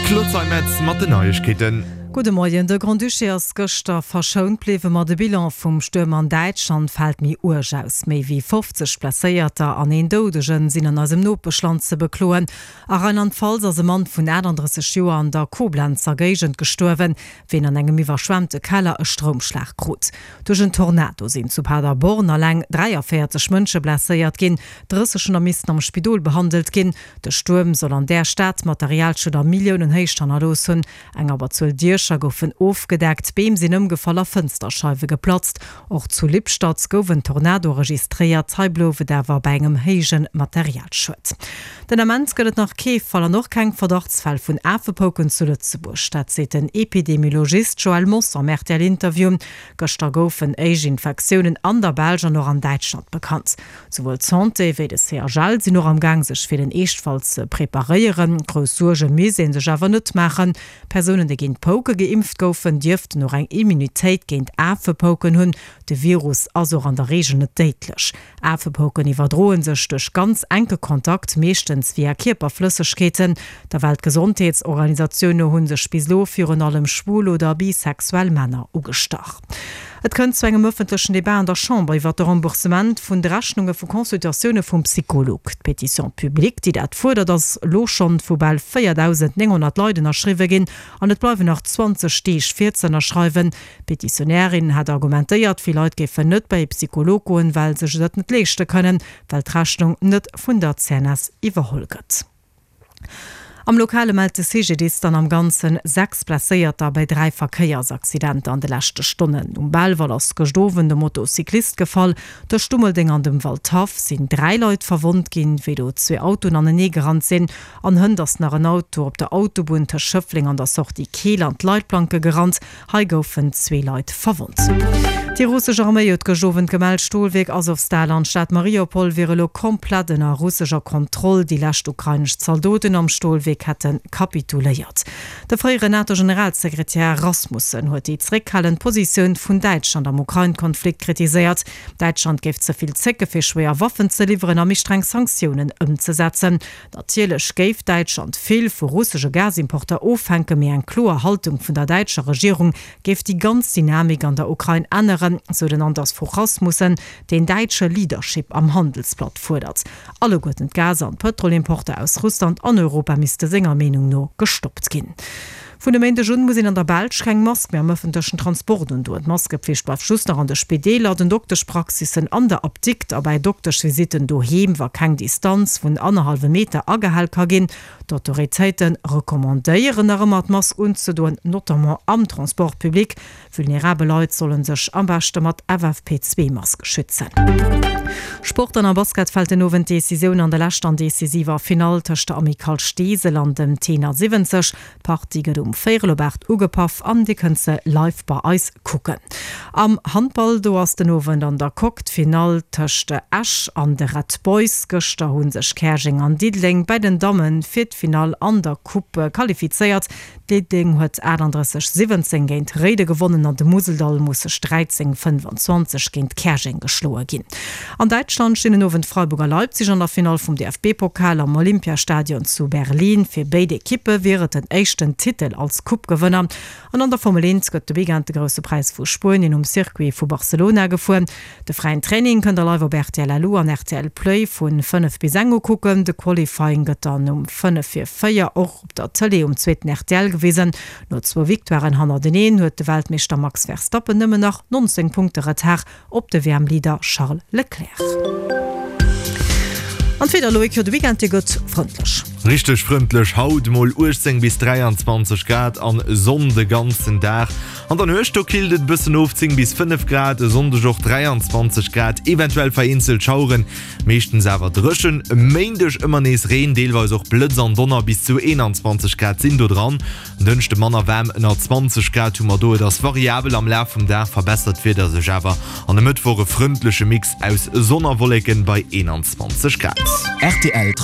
D'Claude Zeimetz mat den Neiegkeeten. Gudde Moien. De Grand-Duché ass gëschter verschount bliwwen, ma de Bilan vum Stuerm an Däitschland fält méi uerg aus. Méi wéi 50 Blesséierter an een Doudegen sinn an eisem Nopeschland ze bekloen. A Rheinland-Pfalz ass e Mann vun 38 Joer an der Koblenzer Géigend gestuerwen, wéi en an engem iwwerschwemmte Keller e Stroumschlag krut. Duerch en Tornado sinn zu Paderborn eleng 43 Mënsche blesséiert ginn, 30 hunn missten am Spidol behandelt ginn. De Stuerm soll an där Stad Materialschued a Milliounenhéicht hannerlooss hunn. Eng Abberzuel Diecher goufen ofgedeckt, Beem sinn ëmgefall a Fënsterscheiwe geplatzt. Och zu Lippstadt gouf en Tornado registréiert, hei blouf et awer bei engem héije Materialschued. Den Ament gëtt et nach kee Fall an och keng Verdachtsfäll vun Afepouken zu Lëtzebuerg. Dat seet den Epidemiologist Joël Moss am RTL-Interview. Gëschter goufen éischt Infektiounen an der Belsch an och an Däitschland bekannt. Souwuel d'Santé wéi de CHL sinn och am Gaang sech fir den Eeschtfall ze preparéieren. Grouss Suerge misst ee sech awer net maachen. Persounen déi géint Pouke geimpft goufen, dierften och eng Immunitéit géint Afepouken hunn. De Virus ass och an der Reegel net déidlech. Afepouken iwwerdroe sech duerch ganz enke Kontakt, meeschtens via Kierperflëssegkeeten. Der Weltgesondheetsorganisatioun no hu sech bis elo virun allem schwul oder bisexuell Männer ugestach. Et kënnt zu engem ëffentlechen Debat an der Chamber iwwer de Remboursement vun de Rechnunge vu Consultatioune vum Psycholog. D'Pétition publique, déi dat fuerdert, ass elo schonn vu bal 4.900 Leit ënnerschriwwe ginn an et bleiwen nach 20 Deeg fir ze ënnerschreiwen. D'Petitionärin hat argumentéiert, vill Leit géifen net bei ee Psycholog goen, well se sech et net leeschte kënnen, well d'Rechnung net vun der CNS iwwerholl gëtt. Am Lokale mellt de CGDIS dann am Ganzen 6 Blesséierter bei 3 Verkéiersaccidenter an de leschte Stonnen. Um Belval ass gëscht Owend e Motocyclist gefall. Tëscht Dummeldeng an dem Waldhaff sinn 3 Leit verwonnt ginn, wéi do zwee Autoen anenee gerannt sinn. An hënt ass nach en Auto op der Autobunn tëscht Schëffleng an der Sortie Keel an d'Leitplanke gerannt. Hei goufen zwee Leit verwonnt. Déi russesch Arméi huet gëscht Owend gemellt, d'Stolwierk Asowstal an d'Stad Mariupol wier elo komplett ënner russescher Kontroll. Déi lescht ukrainesch Zaldoten am Stolwierk hätte kapituléiert. De fréieren NATO-Generalsekretär Rasmussen huet déi zeréckhalend Positioun vun Däitschland am Ukrain-Konflikt kritiséiert. Däitschland géif ze vill zécke fir schwéier Waffen ze liwweren a méi streng Sanktiounen ëmzesetzen. Natierlech géif Däitschland vill vu russesche Gasimporter ofhänken, mee eng kloer Haltung vun der däitscher Regierung géif déi ganz Dynamik an der Ukrain änneren, sou den Anders Fogh Rasmussen, deen däitsche Leadership am Handelsblatt fuerdert. Alleguerten d'Gas an d'Pëtrolimporter aus Russland an Europa misste senger Meenung no gestoppt ginn. Vun e Méindeg un muss een an der Belsch keng Mask méi am ëffentlechen Transport undoen. D'Maskepflicht bleift just nach an de Spideeler, den Dokteschpraxissen, an der Apdikt a bäi Dokteschvisitten doheem, wa keng Distanz vun annerhallwem Meter agehal ka ginn. D'Autoritéite recommandéieren nach ëmmer d'Mask unzedoen, notamment am Transport public. Vulnerabel Leit solle sech am beschte mat FFP2-Mask schützen. Sport An am Basket fält den Owend d'Decisioun an der leschter an decisiver Finall tëscht der Amicale Steesel an dem Tenor 70. D'Partie gëtt um véierel op 8 ugepaff an dir kënnt se live bei eis kucken. Am Handball, do ass den Owend an der Coque d'Finall tëscht Esch an de Red Boys. Gëschter hu sech Käerjeng an Diddeleng bei den Damme fir d'Finall an der Coupe qualifizéiert. Diddeleng huet 38, 17 géint Réide gewonnen an de Museldall muss sech 13, 25 géint Käerjeng geschloe ginn. An Däitschland stinn den Owend Freiburg a Leipzig an der Finall vum DFB-Pokal am Olympiastadion zu Berlin. Fir béid Ekippe wier et den éischten Titel als Coupe-Gewënner. An an der Formel 1 gëtt de Weekend de Grousse Präis vu Spuenien um Circuit vu Barcelona gefuer. De fräien Training kënnt der live op rtl LU an rtl Play vu 5 bis eng ukucken. De Qualifying gëtt dann um 5 vir 4 och op der Tëlee um zweeten rtl gewisen. No zwou Victoiren hannerteneen huet de Weltmeeschter Max Verstappen nëmmen nach 19 Punkte Retard op de WM-Leader Charles Leclerc. An d'Wieder, Loïc, jo de Weekend dee gëtt frëndlech. Richteg frëndlech, haut mol 18 bis 23 Grad an Sonn de ganzen Dag. An der Nuecht do killt et e bëssen of, 10 bis 5 Grad, e Sonndeg och 23 Grad, eventuell vereenzelt Schaueren, meeschtens awer dréchen. E Méindeg ëmmer nees Reen, deelweis och Blëtz an Donner, bis zu 21 Grad sinn do dran. En Dënschde manner waarm, ënner 20 Grad hu mer do. Et ass variabel, am Laf vum Dag verbessert d'Wieder sech awer an e Mëttwoch e frëndleche Mix aus Sonn a Wolleken bei 21 Grad. Rtl.